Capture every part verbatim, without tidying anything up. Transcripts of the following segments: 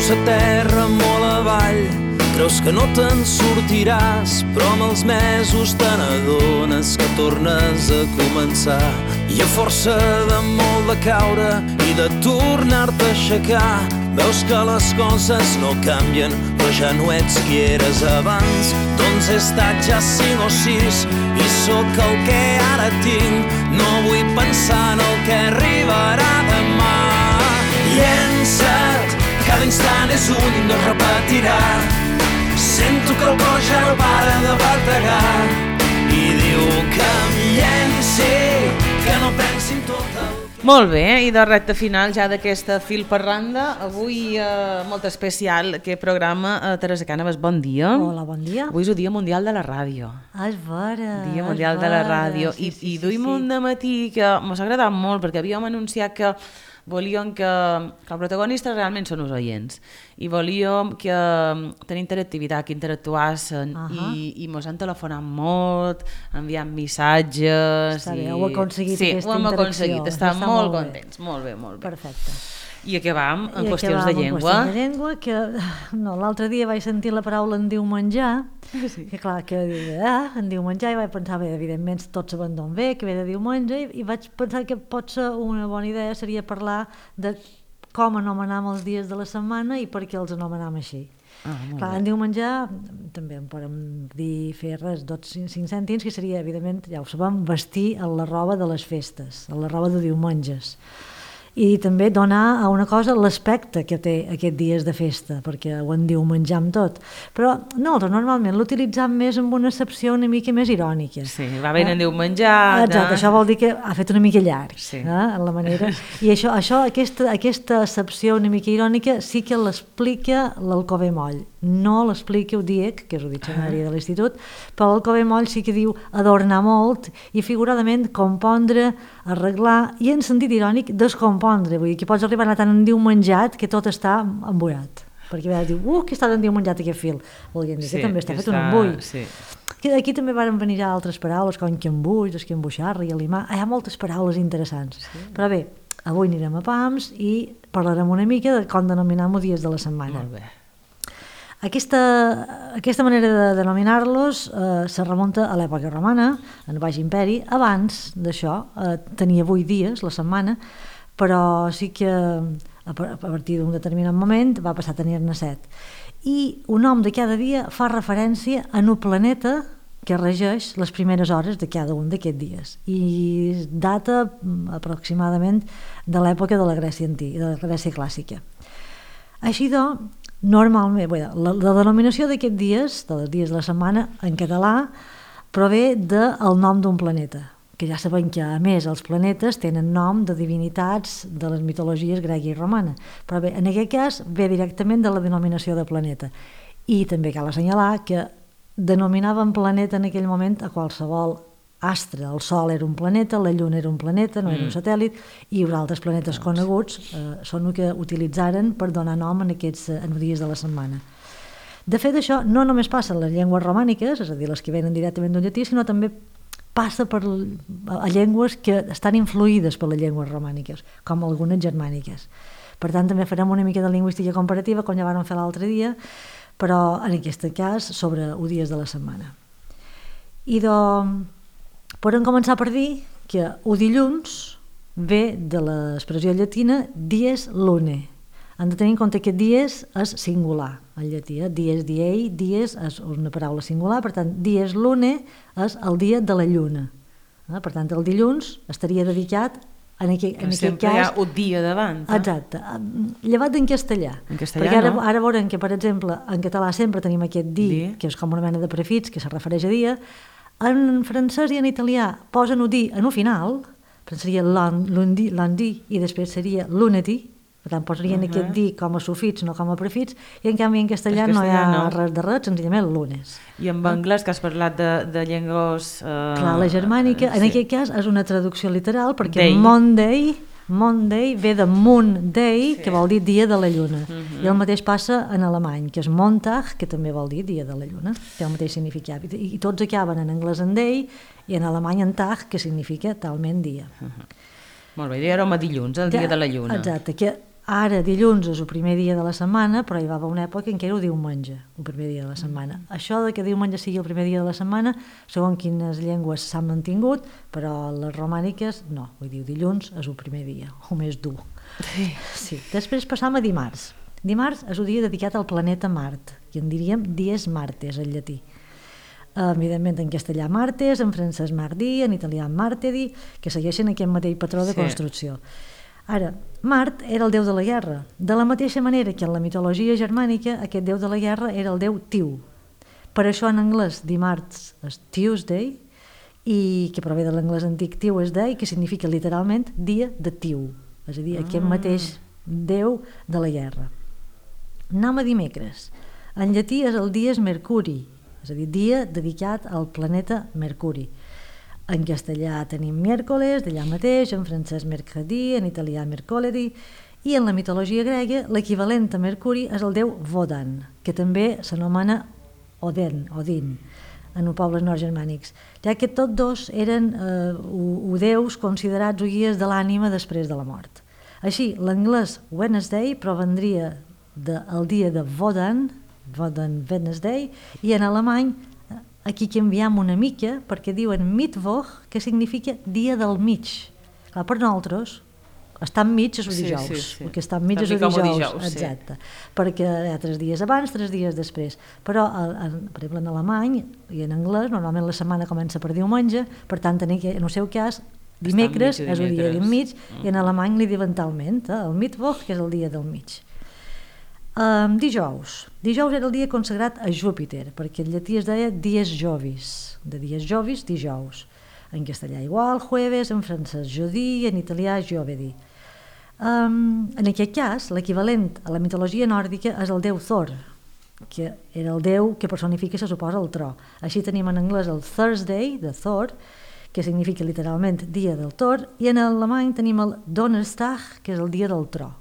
Veus a terra molt avall, creus que no te'n sortiràs, però amb els mesos te n'adones que tornes a començar. I a força de molt de caure i de tornar-te a aixecar, veus que les coses no canvien, però ja no ets qui eres abans. Doncs he estat ja cinc o sis i sóc el que ara tinc. No vull pensar en el que arribarà demà. Llença't, cada instant és un i no es repetirà. Sento que el cor ja no para de bategar i diu que em llenci, que no pensi en tot el... Molt bé, i de recte final ja d'aquesta fil per randa, avui eh, molt especial aquest programa. eh, Teresa Cànovas, bon dia. Hola, bon dia. Avui és el Dia Mundial de la Ràdio. Ah, és vera. Dia Mundial de la Ràdio. Sí, I, sí, i sí, duim sí. un dematí que m'ha agradat molt, perquè havíem anunciat que volíem que, que els protagonistes realment són els oients i volíem que tenir interactivitat, que interactuassin uh -huh. i, i mos han telefonat molt, enviant missatges. Està i... bé, heu aconseguit sí, aquesta ho hem interacció. aconseguit, estem Està molt, molt bé. contents, molt bé, molt bé. Perfecte. I a què vam? En I qüestions de llengua? En qüestions de llengua, que no, l'altre dia vaig sentir la paraula en diu menjar, sí. que clar, que ah, en diu menjar, i vaig pensar, bé, evidentment tots saben d'on ve, que ve de diumenge, i, i vaig pensar que pot ser una bona idea seria parlar de com anomenam els dies de la setmana i per què els anomenam així. Ah, clar, en diu menjar, també en podem dir, fer res, dos, cinc, cinc cèntims, que seria, evidentment, ja ho sabem, vestir en la roba de les festes, en la roba de diumenges. I també donar a una cosa l'aspecte que té aquests dies de festa, perquè ho en diu menjar amb tot. Però nosaltres normalment l'utilitzam més amb una accepció una mica més irònica. Sí, va bé, en diu menjar... Exacte, això vol dir que ha fet una mica llarg, sí. eh, en la manera. I això, això aquesta, aquesta accepció una mica irònica sí que l'explica l'Alcover Moll. No l'explica el D I E C, que és el diccionari de l'institut, però l'Alcover Moll sí que diu adornar molt i figuradament compondre, arreglar i en sentit irònic descompondre. Vull dir que pots arribar a anar tan endiumenjat que tot està embuiat. Perquè a vegades diu, uh, que està endiumenjat aquest fil. Volguem dir sí, que també està fet està... un embull. Sí. Que aquí també van venir altres paraules, com que embuix, que embuixar, i alimar. Hi ha moltes paraules interessants. Sí. Però bé, avui anirem a Pams i parlarem una mica de com denominar els dies de la setmana. Molt bé. Aquesta, aquesta manera de denominar-los eh, se remunta a l'època romana, en el Baix Imperi. Abans d'això eh, tenia vuit dies la setmana, però sí que a partir d'un determinat moment va passar a tenir-ne set. I un nom de cada dia fa referència a un planeta que regeix les primeres hores de cada un d'aquests dies i data aproximadament de l'època de la Grècia antiga, de la Grècia clàssica. Així doncs, normalment, bé, la, la denominació d'aquests dies, dels dies de la setmana, en català, prové del nom d'un planeta, que ja sabem que, a més, els planetes tenen nom de divinitats de les mitologies grega i romana, però bé, en aquest cas ve directament de la denominació de planeta. I també cal assenyalar que denominaven planeta en aquell moment a qualsevol astre. El Sol era un planeta, la Lluna era un planeta, no era un satèl·lit, i els altres planetes coneguts eh, són el que utilitzaren per donar nom en aquests en dies de la setmana. De fet, això no només passa en les llengües romàniques, és a dir, les que venen directament d'un llatí, sinó també passa per a llengües que estan influïdes per les llengües romàniques, com algunes germàniques. Per tant, també farem una mica de lingüística comparativa, com ja vam fer l'altre dia, però en aquest cas sobre els dies de la setmana. I doncs, podem començar per dir que el dilluns ve de l'expressió llatina dies lune. Han de tenir en compte que dies és singular, en llatí. Eh? Dies diei, dies és una paraula singular, per tant, dies lune és el dia de la lluna. Eh? Per tant, el dilluns estaria dedicat en aquest, en aquest sempre cas... hi ha un dia davant. Eh? Exacte. Llevat en castellà. En castellà, perquè ara, no? ara veurem que, per exemple, en català sempre tenim aquest di, Di. que és com una mena de prefix, que se refereix a dia. En francès i en italià posen el di en el final, però seria lundi, lundi, i després seria lunedì, per tant posarien uh -huh. aquest di com a sufix, no com a prefix, i en canvi en castellà, castellà no hi ha no. res de res, senzillament lunes. I en anglès, que has parlat de, de llengües... Eh, Clar, la germànica, eh, en sí. aquest cas és una traducció literal, perquè Day. Monday... Monday ve de Moon Day, sí. que vol dir dia de la lluna. Uh -huh. I el mateix passa en alemany, que és Montag, que també vol dir dia de la lluna. Té el mateix significat. I, i tots acaben en anglès en day i en alemany en Tag, que significa talment dia. Uh -huh. Molt bé, ja érem a dilluns, el dia ja, de la lluna. Exacte, que Ara, dilluns és el primer dia de la setmana, però hi va haver una època en què era el diumenge, el primer dia de la setmana. Mm. Això de que diumenge sigui el primer dia de la setmana, segons quines llengües s'han mantingut, però les romàniques no, vull dir, dilluns és el primer dia, o més dur. Sí. Sí. Després passam a dimarts. Dimarts és el dia dedicat al planeta Mart, i en diríem dies martes en llatí. Evidentment en castellà martes, en francès mardi, en italià martedi, que segueixen aquest mateix patró de sí. construcció. Ara, Mart era el déu de la guerra, de la mateixa manera que en la mitologia germànica aquest déu de la guerra era el déu Tiu. Per això en anglès dimarts és Tuesday, i que prové de l'anglès antic Tuesday, que significa literalment dia de Tiu, és a dir, aquest mateix déu de la guerra. Anem a dimecres. En llatí és el dies Mercuri, és a dir, dia dedicat al planeta Mercuri. En castellà tenim miércoles, d'allà mateix, en francès mercredi, en italià mercoledì, i en la mitologia grega l'equivalent a Mercuri és el déu Wodan, que també s'anomena Odin, Odin, en els pobles nord-germànics, ja que tots dos eren eh, o, o déus considerats o guies de l'ànima després de la mort. Així, l'anglès Wednesday provendria del dia de Wodan, Wodan Wednesday, i en alemany aquí canviem una mica perquè diuen Mittwoch, que significa dia del mig. Clar, per nosaltres, estar enmig és el dijous, sí, sí, sí. El que està enmig és el dijous, dijous exacte, sí. Perquè hi ha tres dies abans, tres dies després. Però, en, per exemple, en alemany i en anglès, normalment la setmana comença per diumenge, per tant, en el seu cas, dimecres és el dia del mig, mm. i en alemany li diuen talment, eh? El Mittwoch, que és el dia del mig. Um, dijous. Dijous era el dia consagrat a Júpiter, perquè en llatí es deia dies jovis, de dies jovis, dijous. En castellà igual, jueves, en francès jodi, en italià giovedì. Um, en aquest cas, l'equivalent a la mitologia nòrdica és el déu Thor, que era el déu que personifica, se suposa, el tro. Així tenim en anglès el Thursday, de Thor, que significa literalment dia del Thor, i en alemany tenim el Donnerstag, que és el dia del tro.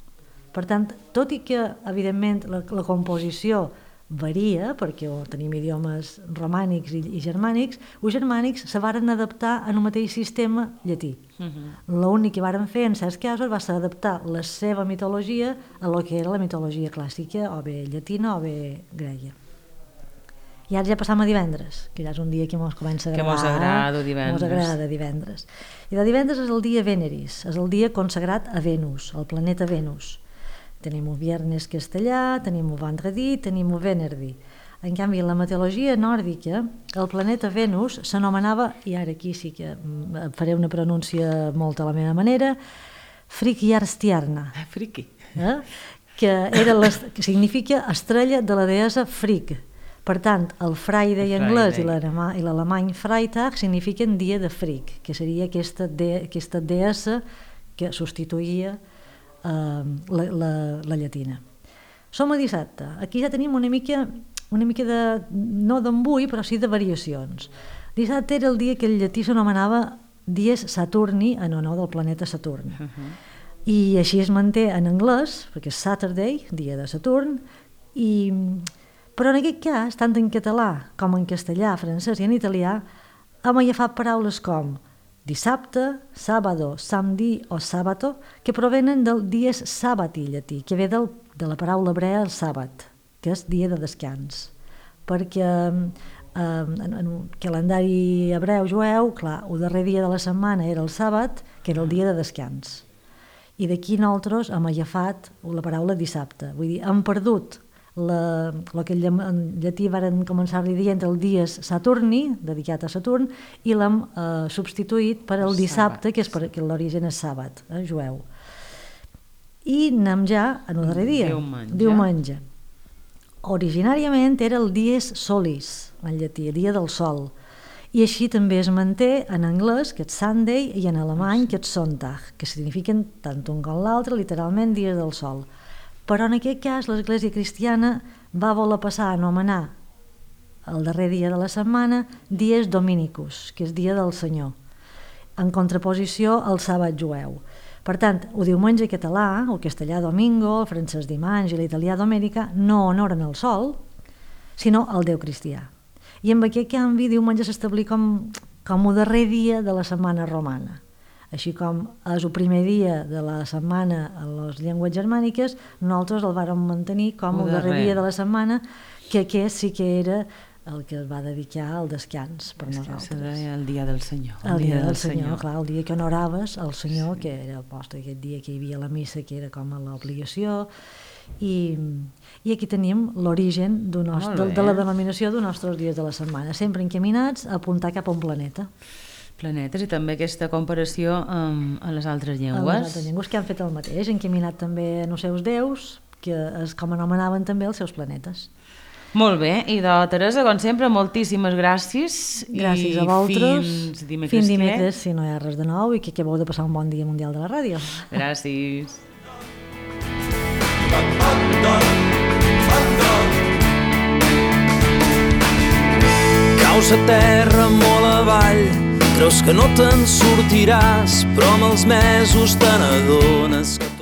Per tant, tot i que, evidentment, la, la composició varia, perquè oh, tenim idiomes romànics i, i germànics, els germànics se varen adaptar en el mateix sistema llatí. Uh-huh. L'únic que varen fer, en certs casos, va ser adaptar la seva mitologia a lo que era la mitologia clàssica, o bé llatina o bé grega. I ara ja passam a divendres, que ja és un dia que mos comença a agradar. Que mos agrada divendres. Mos agrada divendres. I de divendres és el dia Veneris, és el dia consagrat a Venus, al planeta Venus. Tenim el viernes castellà, tenim el vendredi, tenim el venerdi. En canvi, en la mitologia nòrdica, el planeta Venus s'anomenava, i ara aquí sí que faré una pronúncia molt a la meva manera, Frigjarstjerna. Friki. Eh? Que, era les, que significa estrella de la deessa Frigg. Per tant, el Friday anglès i l'alemany Freitag signifiquen dia de Frigg, que seria aquesta, de, aquesta deessa que substituïa Uh, la, la, la llatina. Som a dissabte. Aquí ja tenim una mica, una mica de, no d'embui, però sí de variacions. Dissabte era el dia que el llatí s'anomenava dies Saturni, en honor del planeta Saturn. Uh-huh. I així es manté en anglès, perquè és Saturday, dia de Saturn, i, però en aquest cas, tant en català com en castellà, francès i en italià, hem agafat paraules com dissabte, sábado, samedi o sabato, que provenen del dies sabati llatí, que ve del, de la paraula hebrea el sàbat, que és dia de descans. Perquè eh, en, en el calendari hebreu jueu, clar, el darrer dia de la setmana era el sàbat, que era el dia de descans. I d'aquí nosaltres hem agafat la paraula dissabte. Vull dir, hem perdut la, el que en llatí varen començar-li dient el dies Saturni, dedicat a Saturn, i l'hem eh, substituït per el dissabte, que és perquè l'origen és sàbat, eh, jueu. I anem ja en el darrer dia, diumenge. diumenge. Originàriament era el dies solis, en llatí, el dia del sol, i així també es manté en anglès, que és Sunday, i en alemany, que és Sonntag, que signifiquen tant un com l'altre, literalment dies del sol. Però en aquest cas l'Església cristiana va voler passar a anomenar el darrer dia de la setmana dies dominicus, que és dia del Senyor, en contraposició al sàbat jueu. Per tant, el diumenge català, el castellà domingo, el francès dimanche i l'italià domenica no honoren el sol, sinó el Déu cristià. I amb aquest canvi diumenge s'establí com, com el darrer dia de la setmana romana. Així com és el primer dia de la setmana a les llengües germàniques, nosaltres el vàrem mantenir com el darrer dia de la setmana, que aquest sí que era el que es va dedicar al descans per nosaltres. El dia del Senyor. El, el dia, dia del, del Senyor, senyor, clar, el dia que honoraves el Senyor, sí. Que era posta aquest dia que hi havia la missa, que era com a l'obligació, i, i aquí tenim l'origen de, de la denominació dels nostres dies de la setmana, sempre encaminats a apuntar cap a un planeta. Planetes, i també aquesta comparació amb, amb les altres llengües. Amb les altres llengües que han fet el mateix, encaminat també en els seus déus, que és com anomenaven també els seus planetes. Molt bé, i de Teresa, com sempre, moltíssimes gràcies. Gràcies a vosaltres. Fins dimecres. Fins dimecres, si no hi ha res de nou, i que acabeu de passar un bon dia mundial de la ràdio. Gràcies. Caus a terra molt avall, creus que no te'n sortiràs, però amb els mesos te n'adones que